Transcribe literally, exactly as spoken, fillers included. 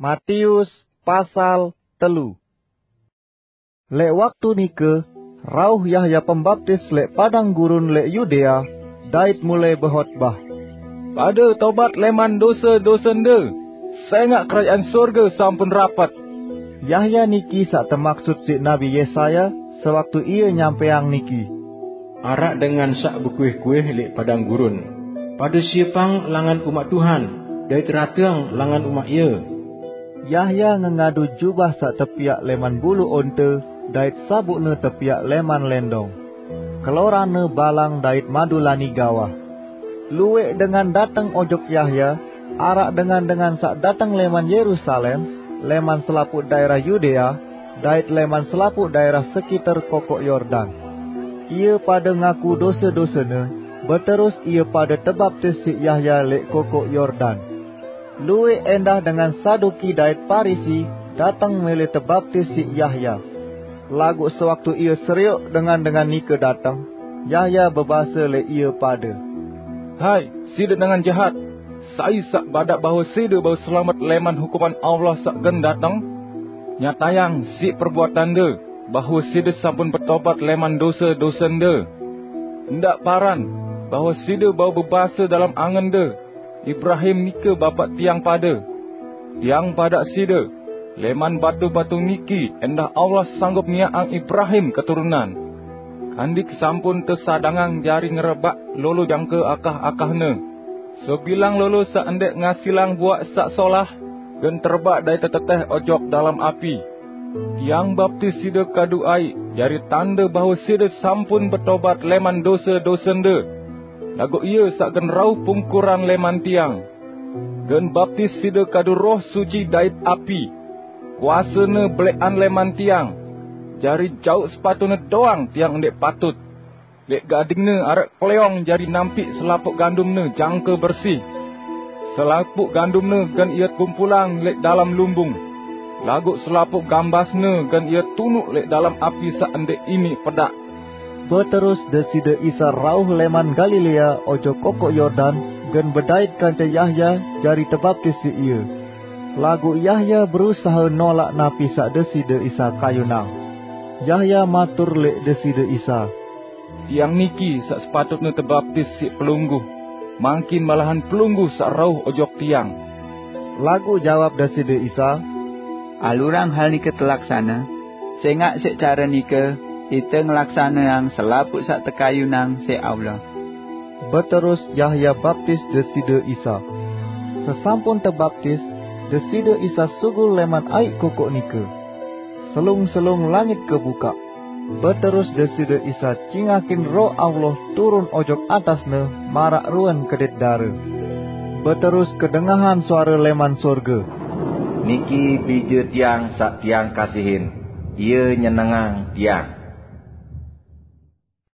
Matius pasal telu. Lek waktu nike, rauh Yahya Pembaptis lek padang gurun lek Yudea, dait mulai behotbah, "Pade tobat leman dose-dosende, sengak kerajaan sorge sampun rapet." Yahya niki sak temaksud siq Nabi Yesaya sewaktu ie nyampeang niki, "Araq dengan saq bekuih-kuih leq padang gurun, 'Pade siepang langan umaq Tuhan, dait rateang langan umaq Ie.'" Yahya ngengadu jubah saq tepiaq leman bulu onte, dait sabukne tepiaq leman lendong. Keloranne balang dait madulani gawah. Lueq dengan dateng ojok Yahya, araq dengan-dengan saq dateng leman Yerusalem, leman selapuq daerah Yudea, dait leman selapuq daerah sekiter Kokoq Yordan. Ie pade ngaku dose-dosene, beterus ie pade tebaptis siq Yahya leq Kokoq Yordan. Lueq endah dengan Saduki dait Parisi dateng mele tebaptis siq Yahya. Laguq sewaktu ie serioq dengan-dengan nike dateng, Yahya bebase leq ie pade, "Hai, side dengan jahat! Sai saq badaq bahwe side bau selamet leman hukuman Allah saq gen dateng? Nyatayang siq perbuatande bahwe side sampun betobat leman dose-dosende. Ndaq paran bahwe side bau bebase dalem angende, 'Ibrahim nike bapaq tiang pade.' Tiang badaq side, leman batu-batu niki endah Allah sanggup miaqang Ibrahim keturunan. Kandik sampun tesadangang jari ngerebaq lolo jangke akah-akahne. Sebilang lolo saq ndeq ngasilang buaq saq solah, gen terebaq dait teteteh ojok dalem api. Tiang baptis side kadu aiq jari tande bahwe side sampun betobat leman dose-dosende. Laguq Ie saq gen rauh pungkuran leman tiang, gen baptis side kadu Roh Suci dait api. Kuasene beleqan leman tiang, jari jauq sepatune doang tiang ndeq patut. Leq gadingne araq kleong jari nampiq selapuq gandumne jangke bersih. Selapuq gandumne gen ie kumpulang leq dalem lumbung, laguq selapuq gambasne gen ie tunuq leq dalem api saq ndeq iniq pedaq." Beterus Deside Isa rauh leman Galilea ojok Kokoq Yordan, gen bedait kance Yahya jari tebaptis siq Ie. Laguq Yahya berusahe nolaq napi saq Deside Isa kayunang. Yahya matur leq Deside Isa, "Tiang niki saq sepatutne tebaptis siq Pelungguh, mangkin malahan Pelungguh saq rauh ojok tiang." Laguq jawab Deside Isa, "Alurang hal nike telaksane, sengaq siq care nike ite ngelaksaneang selapuq saq tekayunang siq Allah." Beterus Yahya baptis Deside Isa. Sesampun tebaptis, Deside Isa sugul leman aiq kokoq nike. Selung-selung langit kebukaq. Beterus Deside Isa cingakin Roh Allah turun ojok atas-Ne maraq ruen kedit dare. Beterus kedengahan suare leman sorge, "Niki Bije Tiang saq Tiang kasihin, Ie nyenengang Tiang."